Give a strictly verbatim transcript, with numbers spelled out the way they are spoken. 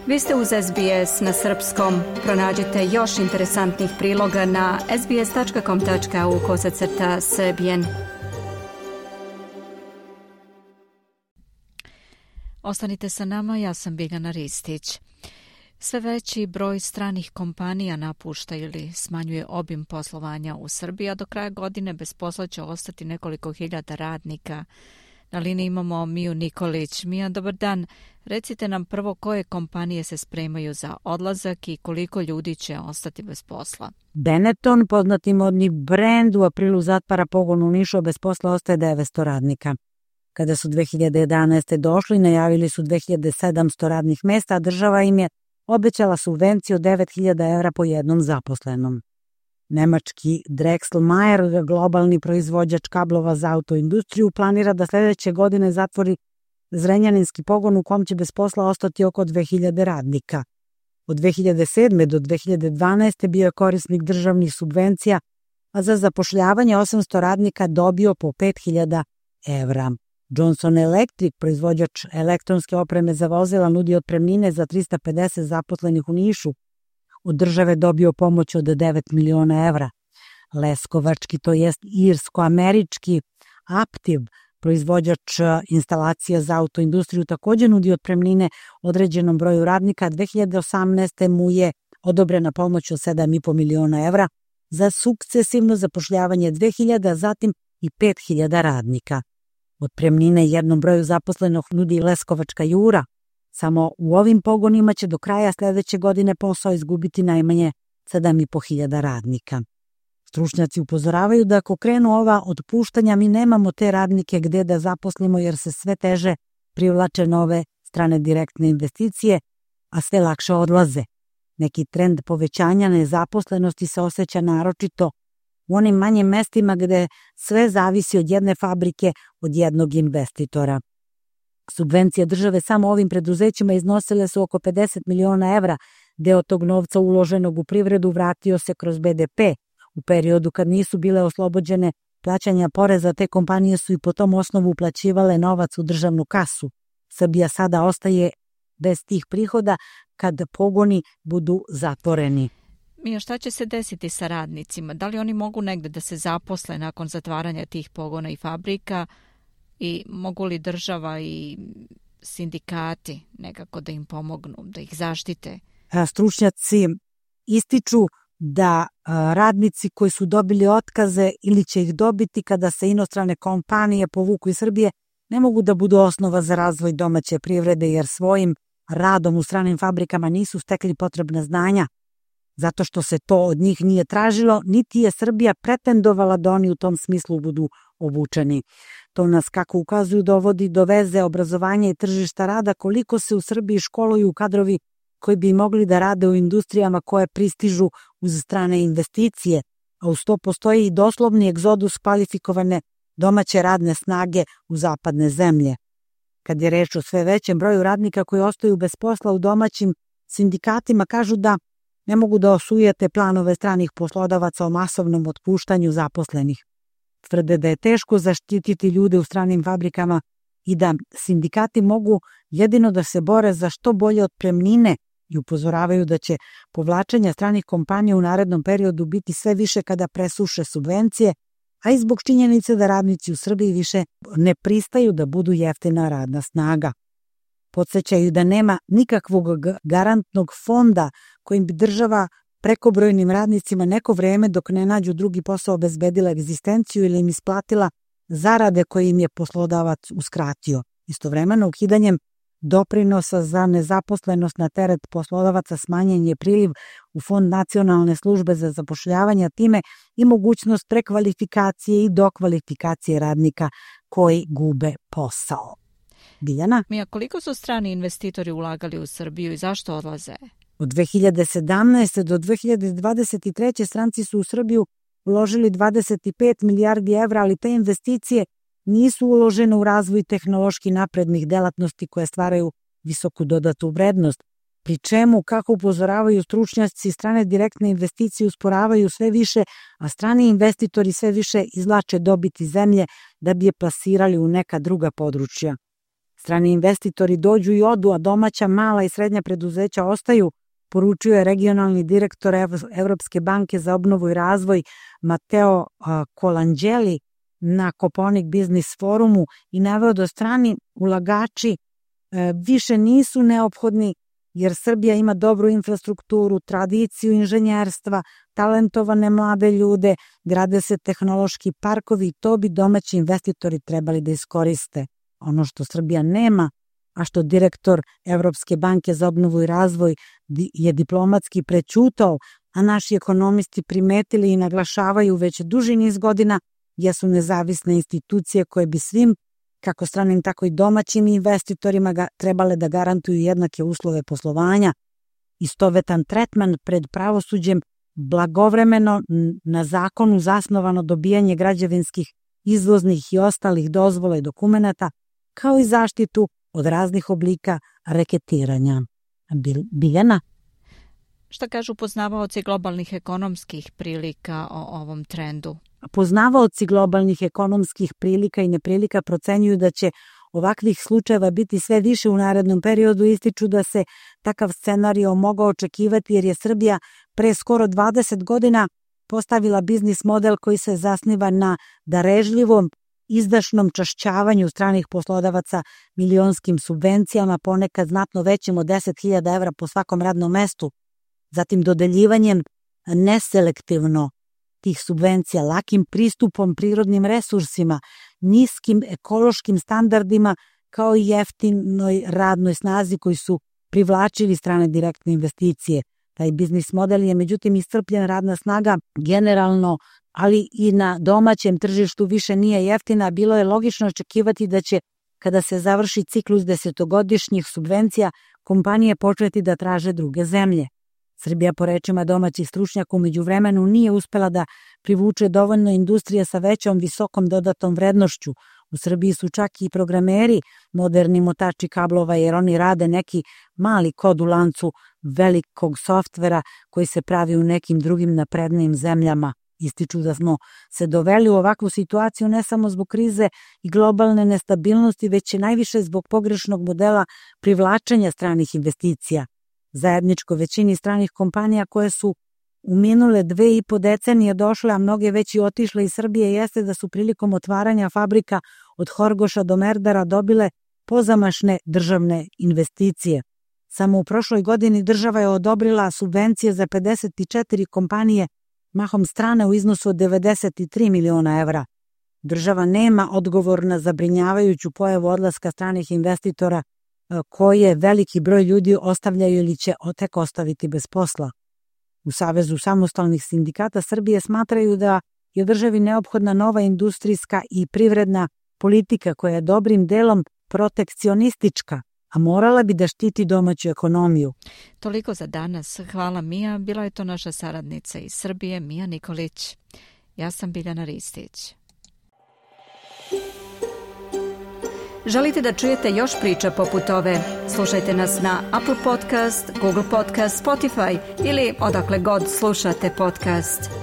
Vi ste uz S B S na srpskom. Pronađite još interesantnih priloga na sbs.com tačka au kosacrta srbijen. Ostanite sa nama, ja sam Biljana Ristić. Sve veći broj stranih kompanija napušta ili smanjuje obim poslovanja u Srbiji, a do kraja godine bez posla će ostati nekoliko hiljada radnika. Na liniji imamo Miju Nikolić. Mija, dobar dan. Recite nam prvo koje kompanije se spremaju za odlazak i koliko ljudi će ostati bez posla. Benetton, poznati modni brend, u aprilu zatvara pogon u Nišu, bez posla ostaje devetsto radnika. Kada su dve hiljade jedanaeste. došli, najavili su dve hiljade sedamsto radnih mesta, a država im je obećala subvenciju od devet hiljada evra po jednom zaposlenom. Nemački Drexel-Mayer, globalni proizvođač kablova za autoindustriju, planira da sljedeće godine zatvori zrenjaninski pogon u kom će bez posla ostati oko dve hiljade radnika. Od dve hiljade sedme. do dve hiljade dvanaeste. bio je korisnik državnih subvencija, a za zapošljavanje osamsto radnika dobio po pet hiljada evra. Johnson Electric, proizvođač elektronske opreme za vozila, nudi otpremnine za trista pedeset zaposlenih u Nišu. Od države dobio pomoć od devet miliona evra. Leskovački, to jest irsko-američki Aptiv, proizvođač instalacija za autoindustriju, također nudi otpremnine određenom broju radnika. dve hiljade osamnaeste. mu je odobrena pomoć od sedam i po miliona evra za sukcesivno zapošljavanje dve hiljade, a zatim i pet hiljada radnika. Otpremnine jednom broju zaposlenog nudi Leskovačka Jura. Samo u ovim pogonima će do kraja sljedeće godine posao izgubiti najmanje sedam i po hiljada radnika. Stručnjaci upozoravaju da ako krenu ova otpuštanja, mi nemamo te radnike gdje da zaposlimo jer se sve teže privlače nove strane direktne investicije, a sve lakše odlaze. Neki trend povećanja nezaposlenosti se osjeća naročito u onim manjim mestima gdje sve zavisi od jedne fabrike, od jednog investitora. Subvencije države samo ovim preduzećima iznosile su oko pedeset miliona evra. Deo tog novca uloženog u privredu vratio se kroz B D P. U periodu kad nisu bile oslobođene plaćanja poreza, te kompanije su i po tom osnovu uplaćivale novac u državnu kasu. Srbija sada ostaje bez tih prihoda kad pogoni budu zatvoreni. Mija, šta će se desiti sa radnicima? Da li oni mogu negde da se zaposle nakon zatvaranja tih pogona i fabrika i mogu li država i sindikati nekako da im pomognu, da ih zaštite? Stručnjaci ističu da radnici koji su dobili otkaze ili će ih dobiti kada se inostrane kompanije povuku iz Srbije ne mogu da budu osnova za razvoj domaće privrede jer svojim radom u stranim fabrikama nisu stekli potrebna znanja. Zato što se to od njih nije tražilo, niti je Srbija pretendovala da oni u tom smislu budu obučeni. To nas, kako ukazuju, dovodi do veze obrazovanja i tržišta rada, koliko se u Srbiji školuju kadrovi koji bi mogli da rade u industrijama koje pristižu uz strane investicije, a uz to postoji i doslovni egzodus kvalifikovane domaće radne snage u zapadne zemlje. Kad je reč o sve većem broju radnika koji ostaju bez posla u domaćim sindikatima, kažu da ne mogu da osujete planove stranih poslodavaca o masovnom otpuštanju zaposlenih. Tvrde da je teško zaštititi ljude u stranim fabrikama i da sindikati mogu jedino da se bore za što bolje otpremnine i upozoravaju da će povlačenja stranih kompanija u narednom periodu biti sve više kada presuše subvencije, a i zbog činjenice da radnici u Srbiji više ne pristaju da budu jeftina radna snaga. Podsjećaju da nema nikakvog garantnog fonda kojim bi država prekobrojnim radnicima neko vreme dok ne nađu drugi posao obezbedila egzistenciju ili im isplatila zarade koje im je poslodavac uskratio. Istovremeno, ukidanjem doprinosa za nezaposlenost na teret poslodavaca smanjen je priliv u Fond nacionalne službe za zapošljavanje, time i mogućnost prekvalifikacije i dokvalifikacije radnika koji gube posao. Biljana? Mija, koliko su strani investitori ulagali u Srbiju i zašto odlaze? Od dve hiljade sedamnaeste. do dve hiljade dvadeset treće. stranci su u Srbiju uložili dvadeset pet milijardi evra, ali te investicije nisu uložene u razvoj tehnološki naprednih delatnosti koje stvaraju visoku dodatu vrednost, pri čemu, kako upozoravaju stručnjaci, strane direktne investicije usporavaju sve više, a strani investitori sve više izvlače dobiti zemlje da bi je plasirali u neka druga područja. Strani investitori dođu i odu, a domaća mala i srednja preduzeća ostaju, poručio je regionalni direktor Evropske banke za obnovu i razvoj Matteo Colangeli na Koponik Biznis forumu i naveo da strani ulagači više nisu neophodni jer Srbija ima dobru infrastrukturu, tradiciju inženjerstva, talentovane mlade ljude, grade se tehnološki parkovi i to bi domaći investitori trebali da iskoriste. Ono što Srbija nema, a što direktor Evropske banke za obnovu i razvoj je diplomatski prećutao, a naši ekonomisti primetili i naglašavaju već duži niz godina, jesu nezavisne institucije koje bi svim, kako stranim tako i domaćim investitorima ga trebale da garantuju jednake uslove poslovanja, istovetan tretman pred pravosuđem, blagovremeno na zakonu zasnovano dobijanje građevinskih, izvoznih i ostalih dozvola i dokumenata, kao i zaštitu od raznih oblika reketiranja. Biljana? Šta kažu poznavaoci globalnih ekonomskih prilika o ovom trendu? Poznavaoci globalnih ekonomskih prilika i neprilika procenjuju da će ovakvih slučajeva biti sve više u narednom periodu, ističu da se takav scenario mogao očekivati jer je Srbija pre skoro dvadeset godina postavila biznis model koji se zasniva na darežljivom, izdašnom čašćavanju stranih poslodavaca milionskim subvencijama, ponekad znatno većim od deset hiljada evra po svakom radnom mestu, zatim dodeljivanjem neselektivno tih subvencija, lakim pristupom prirodnim resursima, niskim ekološkim standardima, kao i jeftinoj radnoj snazi koji su privlačili strane direktne investicije. Taj biznis model je međutim iscrpljen, radna snaga generalno, ali i na domaćem tržištu više nije jeftina. Bilo je logično očekivati da će, kada se završi ciklus desetogodišnjih subvencija, kompanije početi da traže druge zemlje. Srbija, po rečima domaćih stručnjaka, u međuvremenu nije uspela da privuče dovoljno industrije sa većom visokom dodatom vrednošću. U Srbiji su čak i programeri moderni motači kablova jer oni rade neki mali kod u lancu velikog softvera koji se pravi u nekim drugim naprednijim zemljama. Ističu da smo se doveli u ovakvu situaciju ne samo zbog krize i globalne nestabilnosti, već i najviše zbog pogrešnog modela privlačenja stranih investicija. Zajedničko većini stranih kompanija koje su u minule dve i po decenije došle, a mnoge već i otišle iz Srbije, jeste da su prilikom otvaranja fabrika od Horgoša do Merdara dobile pozamašne državne investicije. Samo u prošloj godini država je odobrila subvencije za pedeset četiri kompanije, mahom strane u iznosu od devedeset tri miliona evra. Država nema odgovor na zabrinjavajuću pojavu odlaska stranih investitora koje veliki broj ljudi ostavljaju ili će tek ostaviti bez posla. U Savezu samostalnih sindikata Srbije smatraju da je državi neophodna nova industrijska i privredna politika koja je dobrim delom protekcionistička, a morala bi da štiti domaću ekonomiju. Toliko za danas. Hvala Mija. Bila je to naša saradnica iz Srbije, Mija Nikolić. Ja sam Biljana Ristić. Želite da čujete još priča poput ove? Slušajte nas na Apple Podcast, Google Podcast, Spotify ili odakle god slušate podcast.